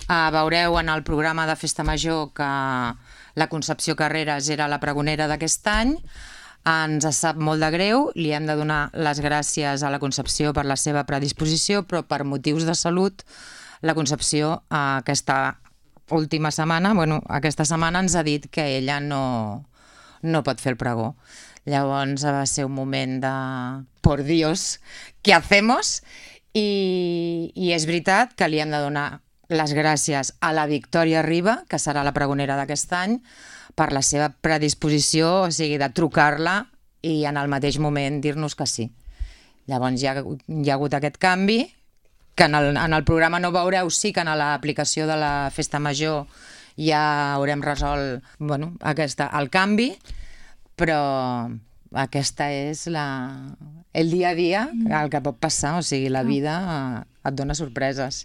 Veureu en el programa de Festa Major que la Concepció Carreras era la pregonera d'aquest any. Ens sap molt de greu, li hem de donar les gràcies a la Concepció per la seva predisposició, però per motius de salut, la Concepció aquesta última setmana, aquesta setmana ens ha dit que ella no pot fer el pregó. Llavors va ser un moment de por Dios, ¿qué hacemos? I és veritat que li hem de donar les gràcies a la Victòria Riba, que serà la pregonera d'aquest any, per la seva predisposició, o sigui, de trucar-la i en el mateix moment dir-nos que sí. Llavors hi ha hagut aquest canvi, que en el programa no veureu, sí que en l'aplicació de la Festa Major ja haurem resolt el canvi, però aquesta és el dia a dia, el que pot passar, o sigui, la vida et dona sorpreses.